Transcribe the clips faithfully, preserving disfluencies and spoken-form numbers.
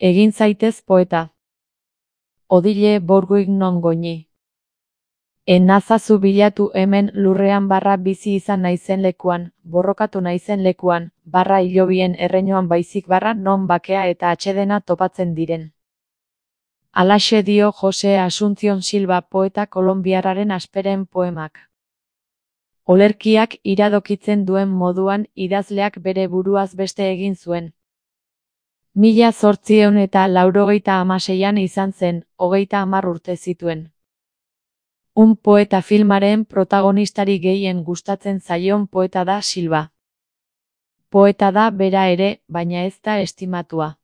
Egin zaitez poeta. Odile borguik non goñi. Enazazu bilatu hemen lurrean barra bizi izan naizen lekuan, borrokatu naizen lekuan, barra hilobien erreinoan baizik barra non bakea eta atsedena topatzen diren. Alaxe dio Jose Asuncion Silva poeta kolonbiarraren asperen poemak. Olerkiak iradokitzen duen moduan idazleak bere buruaz beste egin zuen. Mila zortziehun eta laurogeita hamaseian izan zen, hogeita hamar urte zituen. Un poeta filmaren protagonistari gehien gustatzen zaion poeta da Silva. Poeta da bera ere, baina ez da estimatua.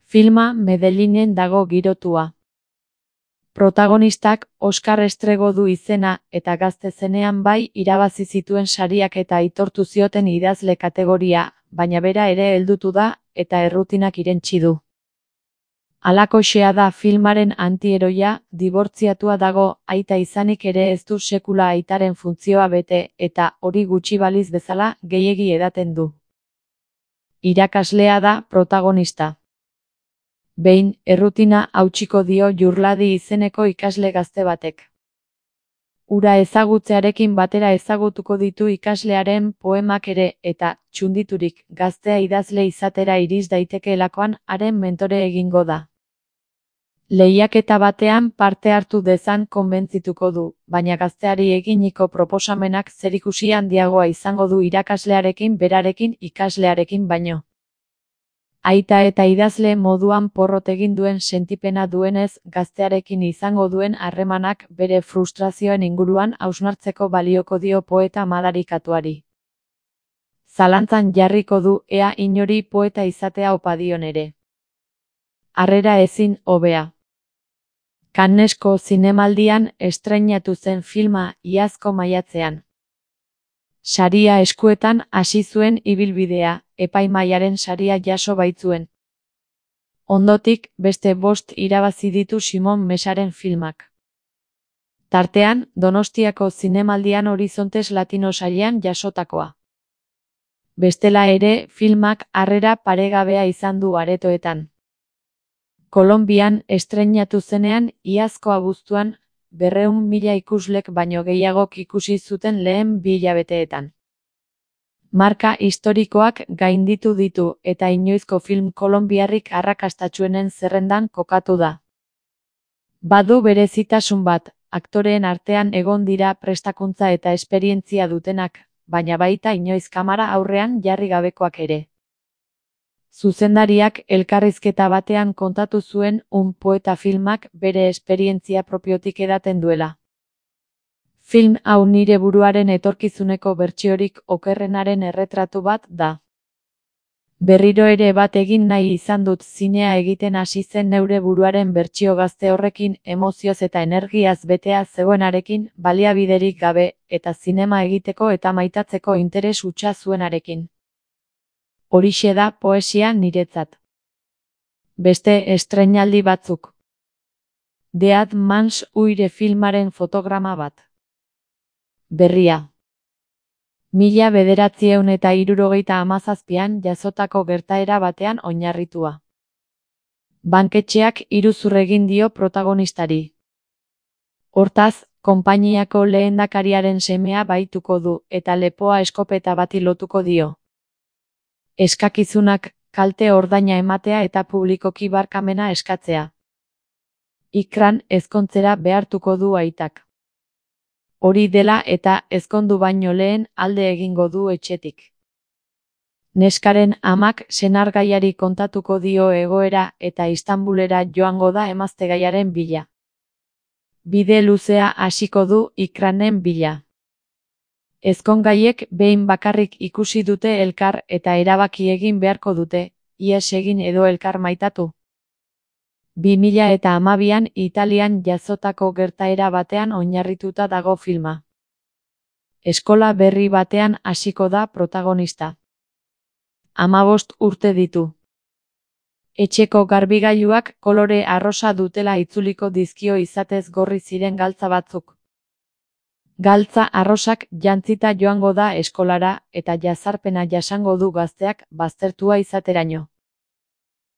Filma Medellinen dago girotua. Protagonistak Oskar estrego du izena eta gazte zenean bai irabazi zituen sariak eta aitortu zioten idazle kategoria, baina bera ere heldutu da eta errutinak irentsi du. Halakoxea da filmaren antieroia, dibortziatua dago, aita izanik ere ez du sekula aitaren funtzioa bete eta hori gutxi baliz bezala gehiegi edaten du. Irakaslea da protagonista. Behin, errutina hautsiko dio Jurladi izeneko ikasle gazte batek. Hura ezagutzearekin batera ezagutuko ditu ikaslearen poemak ere eta, txunditurik, gaztea idazle izatera iriz daitekeelakoan haren mentore egingo da. Lehiaketa batean parte hartu dezan konbentzituko du, baina gazteari eginiko proposamenak zerikusi handiagoa izango du irakaslearekin berarekin ikaslearekin baino. Aita eta idazle moduan porrot egin duen sentipena duenez, gaztearekin izango duen harremanak bere frustrazioen inguruan hausnartzeko balioko dio poeta madarikatuari. Zalantzan jarriko du ea inori poeta izatea opa dion ere. Harrera ezin hobea. Cannesko zinemaldian estreinatu zen filma iazko maiatzean. Saria eskuetan hasi zuen ibilbidea, epaimahaiaren saria jaso baitzuen. Ondotik, beste bost irabazi ditu Simon Mesaren filmak. Tartean, Donostiako zinemaldian Horizontes Latino sarian jasotakoa. Bestela ere, filmak harrera paregabea izan du aretoetan. Kolonbian estreinatu zenean, iazko abuztuan, berrehun mila ikuslek baino gehiagok ikusi zuten lehen bi hilabeteetan. Marka historikoak gainditu ditu eta inoizko film kolonbiarrik arrakastatsuenen zerrendan kokatu da. Badu berezitasun bat, aktoreen artean egon dira prestakuntza eta esperientzia dutenak, baina baita inoiz kamara aurrean jarri gabekoak ere. Zuzendariak elkarrizketa batean kontatu zuen Un poeta filmak bere esperientzia propiotik edaten duela. Film hau nire buruaren etorkizuneko bertsiorik okerrenaren erretratu bat da. Berriro ere bat egin nahi izan dut zinea egiten hasi zen neure buruaren bertsio gazte horrekin emozioz eta energiaz betea zegoenarekin, baliabiderik gabe, eta zinema egiteko eta maitatzeko interes hutsa zuenarekin. Horixe da poesia niretzat. Beste estreinaldi batzuk. Dead Man's Uire filmaren fotograma bat. Berria. Mila bederatziehun eta hirurogeita hamazazpian jasotako gertaera batean oinarritua. Banketxeak iruzur egin dio protagonistari. Hortaz, konpainiako lehendakariaren semea bahituko du eta lepoa eskopeta bati lotuko dio. Eskakizunak, kalte ordaina ematea eta publikoki barkamena eskatzea. Ikran ezkontzera behartuko du aitak. Hori dela eta ezkondu baino lehen alde egingo du etxetik. Neskaren amak senargaiari kontatuko dio egoera eta Istanbulera joango da emaztegaiaren bila. Bide luzea hasiko du Ikranen bila. Ezkongaiek behin bakarrik ikusi dute elkar eta erabaki egin beharko dute, ihes egin edo elkar maitatu. bi mila eta hamabian Italian jasotako gertaera batean oinarrituta dago filma. Eskola berri batean hasiko da protagonista. Hamabost urte ditu. Etxeko garbigailuak kolore arrosa dutela itzuliko dizkio izatez gorri ziren galtza batzuk. Galtza arrosak jantzita joango da eskolara eta jazarpena jasango du gazteak baztertua izateraino.